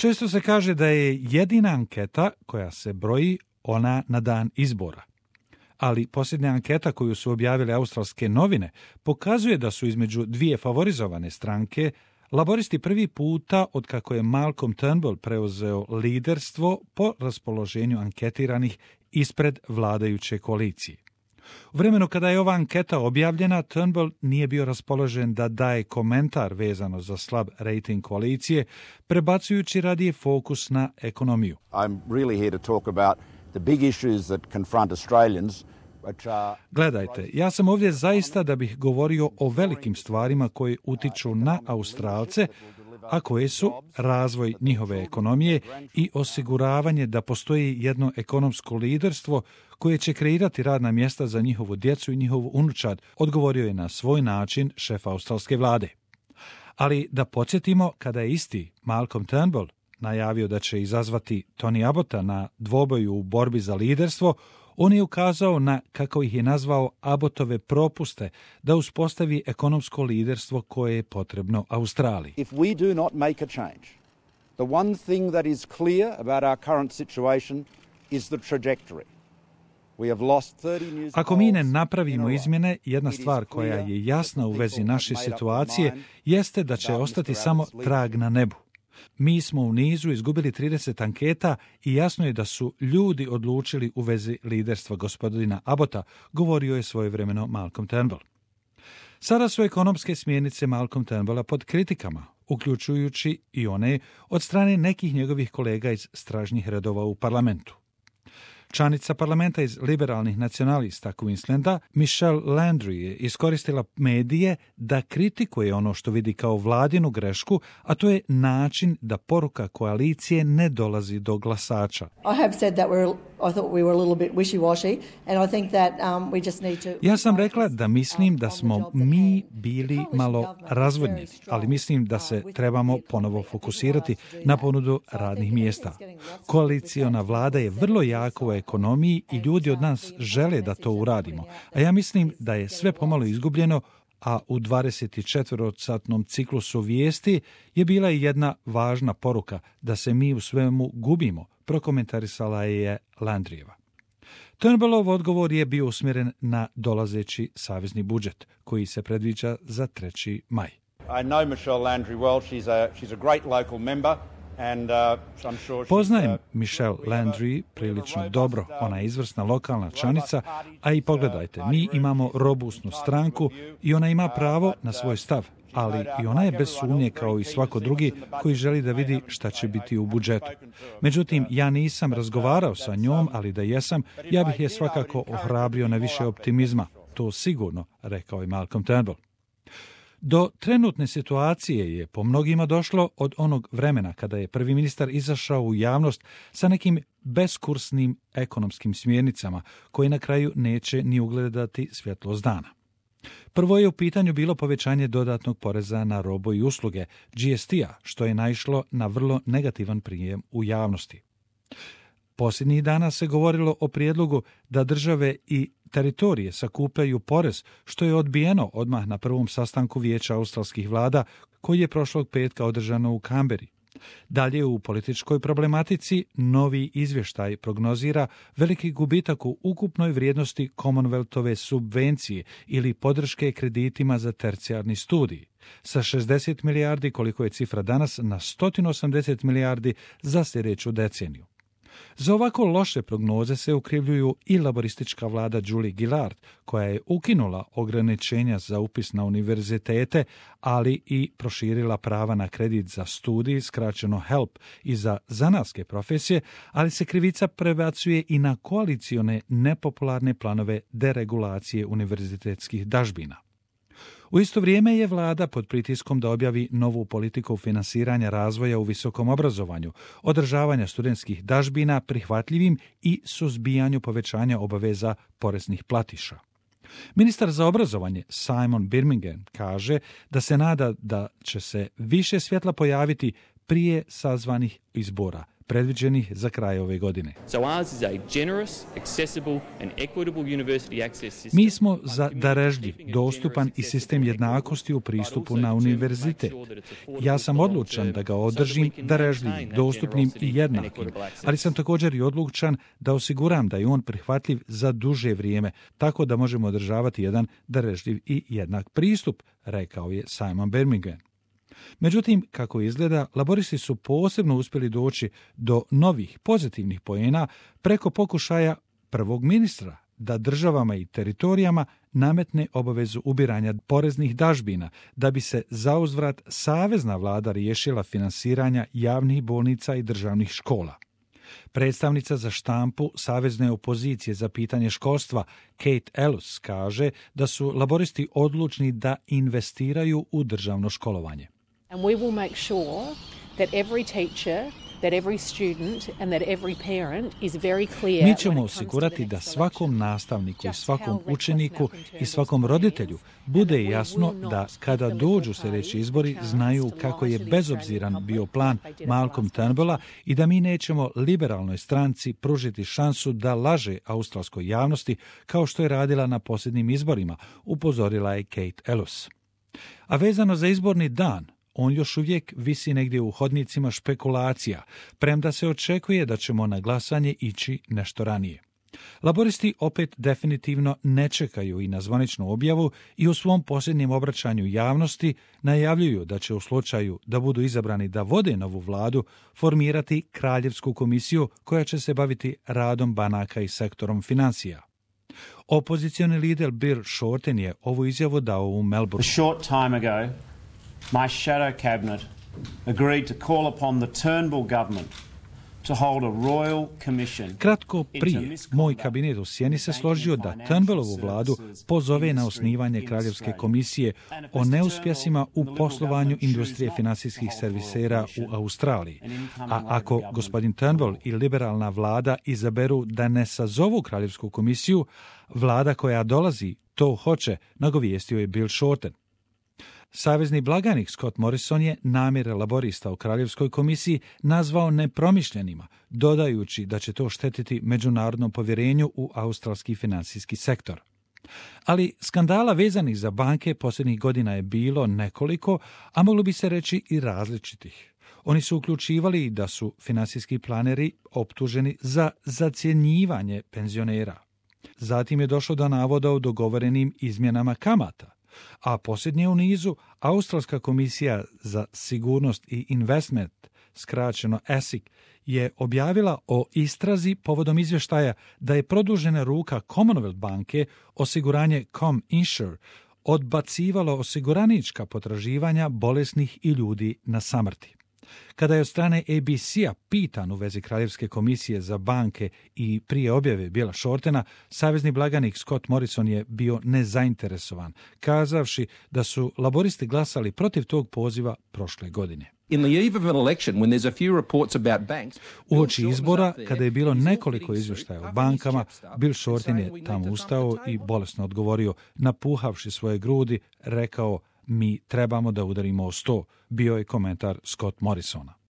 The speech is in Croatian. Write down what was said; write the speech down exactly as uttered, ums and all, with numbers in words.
Često se kaže da je jedina anketa koja se broji ona na dan izbora. Ali posljednja anketa koju su objavile australske novine pokazuje da su između dvije favorizovane stranke laboristi prvi puta od kako je Malcolm Turnbull preuzeo liderstvo po raspoloženju anketiranih ispred vladajuće koalicije. U vremenu kada je ova anketa objavljena, Turnbull nije bio raspoložen da daje komentar vezano za slab rating koalicije, prebacujući radije fokus na ekonomiju. I'm really here to talk about the big issues that confront Australians. Gledajte, ja sam ovdje zaista da bih govorio o velikim stvarima koje utiču na Australce, a koje su razvoj njihove ekonomije i osiguravanje da postoji jedno ekonomsko liderstvo koje će kreirati radna mjesta za njihovu djecu i njihovu unučad, odgovorio je na svoj način šef australske vlade. Ali da podsjetimo, kada je isti Malcolm Turnbull najavio da će izazvati Tony Abbotta na dvoboju u borbi za liderstvo, on je ukazao na, kako ih je nazvao, Abbottove propuste da uspostavi ekonomsko liderstvo koje je potrebno Australiji. If we do not make a change, the one thing that is clear about our current situation is the trajectory. We have lost thirty news Ako mi ne napravimo izmjene, jedna stvar koja je jasna u vezi naše situacije jeste da će ostati samo trag na nebu. Mi smo u nizu izgubili trideset anketa i jasno je da su ljudi odlučili u vezi liderstva gospodina Abbotta, govorio je svojevremeno Malcolm Turnbull. Sada su ekonomske smjernice Malcolm Turnbulla pod kritikama, uključujući i one od strane nekih njegovih kolega iz stražnjih redova u parlamentu. Članica parlamenta iz liberalnih nacionalista Queenslanda, Michelle Landry, je iskoristila medije da kritikuje ono što vidi kao vladinu grešku, a to je način da poruka koalicije ne dolazi do glasača. Ja sam rekla da mislim da smo mi bili malo razvodnjeni, ali mislim da se trebamo ponovo fokusirati na ponudu radnih mjesta. Koaliciona vlada je vrlo jaka u ekonomiji i ljudi od nas žele da to uradimo, a ja mislim da je sve pomalo izgubljeno, a u dvadesetčetvorosatnom ciklusu vijesti je bila i jedna važna poruka da se mi u svemu gubimo, prokomentarisala je Landrijeva. Turnbullov odgovor je bio usmjeren na dolazeći savezni budžet, koji se predviđa za treći maj. I know Michelle Landry well. She's a she's a great local member. And, uh, I'm sure Poznajem Michelle Landry prilično dobro, ona je izvrsna lokalna članica, a i pogledajte, mi imamo robustnu stranku i ona ima pravo na svoj stav, ali i ona je bez sumnje kao i svako drugi koji želi da vidi šta će biti u budžetu. Međutim, ja nisam razgovarao sa njom, ali da jesam, ja bih je svakako ohrabrio na više optimizma. To sigurno, rekao je Malcolm Turnbull. Do trenutne situacije je po mnogima došlo od onog vremena kada je prvi ministar izašao u javnost sa nekim beskursnim ekonomskim smjernicama koje na kraju neće ni ugledati svjetlost dana. Prvo je u pitanju bilo povećanje dodatnog poreza na robu i usluge, G S T-a, što je naišlo na vrlo negativan prijem u javnosti. Posljednjih dana se govorilo o prijedlogu da države i teritorije sakupljaju porez, što je odbijeno odmah na prvom sastanku Vijeća australskih vlada koji je prošlog petka održano u Kamberi. Dalje u političkoj problematici novi izvještaj prognozira veliki gubitak u ukupnoj vrijednosti Commonwealthove subvencije ili podrške kreditima za tercijarni studij, sa šezdeset milijardi koliko je cifra danas na sto osamdeset milijardi za sljedeću deceniju. Za ovako loše prognoze se ukrivljuju i laboristička vlada Julie Gillard, koja je ukinula ograničenja za upis na univerzitete, ali i proširila prava na kredit za studij, skraćeno HELP, i za zanatske profesije, ali se krivica prebacuje i na koalicione nepopularne planove deregulacije univerzitetskih dažbina. U isto vrijeme je vlada pod pritiskom da objavi novu politiku finansiranja razvoja u visokom obrazovanju, održavanja studentskih dažbina prihvatljivim i suzbijanju povećanja obaveza poreznih platiša. Ministar za obrazovanje Simon Birmingham kaže da se nada da će se više svjetla pojaviti prije sazvanih izbora, predviđenih za kraj ove godine. Mi smo za darežljiv, dostupan i sistem jednakosti u pristupu na univerzitet. Ja sam odlučan da ga održim darežljivim, dostupnim i jednakim, ali sam također i odlučan da osiguram da je on prihvatljiv za duže vrijeme, tako da možemo održavati jedan darežljiv i jednak pristup, rekao je Simon Birmingham. Međutim, kako izgleda, laboristi su posebno uspjeli doći do novih pozitivnih poena preko pokušaja prvog ministra da državama i teritorijama nametne obavezu ubiranja poreznih dažbina, da bi se zauzvrat savezna vlada riješila finansiranja javnih bolnica i državnih škola. Predstavnica za štampu savezne opozicije za pitanje školstva Kate Ellis kaže da su laboristi odlučni da investiraju u državno školovanje. And we will make sure that every teacher, that every student and that every parent is very clear. Mi ćemo osigurati da svakom nastavniku i svakom učeniku i svakom roditelju bude jasno da kada dođu sljedeći izbori znaju kako je bezobziran bio plan Malcolm Turnbulla i da mi nećemo liberalnoj stranci pružiti šansu da laže australskoj javnosti kao što je radila na posljednjim izborima, upozorila je Kate Ellis. A vezano za izborni dan, on još uvijek visi negdje u hodnicima špekulacija, premda se očekuje da ćemo na glasanje ići nešto ranije. Laboristi opet definitivno ne čekaju i na zvaničnu objavu i u svom posljednjem obraćanju javnosti najavljuju da će u slučaju da budu izabrani da vode novu vladu formirati kraljevsku komisiju koja će se baviti radom banaka i sektorom financija. Opozicioni lider Bill Shorten je ovu izjavu dao u Melbourne. My shadow cabinet agreed to call upon the Turnbull government to hold a royal commission. Kratko prije, moj kabinet u Sjeni se složio da Turnbullovu vladu pozove na osnivanje kraljevske komisije o neuspjesima u poslovanju industrije financijskih servisera u Australiji. A ako gospodin Turnbull i liberalna vlada izaberu da ne sazovu kraljevsku komisiju, vlada koja dolazi to hoće, nagovijestio je Bill Shorten. Savezni blagajnik Scott Morrison je namjere laborista u Kraljevskoj komisiji nazvao nepromišljenima, dodajući da će to štetiti međunarodnom povjerenju u australski financijski sektor. Ali skandala vezanih za banke posljednjih godina je bilo nekoliko, a moglo bi se reći i različitih. Oni su uključivali da su financijski planeri optuženi za zacjenjivanje penzionera. Zatim je došlo do navoda o dogovorenim izmjenama kamata. A posljednje u nizu, Australska komisija za sigurnost i investment, skraćeno A S I C, je objavila o istrazi povodom izvještaja da je produžena ruka Commonwealth banke, osiguranje ComInsure, odbacivalo osiguranička potraživanja bolesnih i ljudi na samrti. Kada je od strane A B C-a pitan u vezi Kraljevske komisije za banke i prije objave Billa Shortena, savezni blagajnik Scott Morrison je bio nezainteresovan, kazavši da su laboristi glasali protiv tog poziva prošle godine. Uoči izbora, kada je bilo nekoliko izvještaja o bankama, Bill Shorten je tamo ustao i bolesno odgovorio, napuhavši svoje grudi, rekao: mi trebamo da udarimo o sto, bio je komentar Scott Morrisona.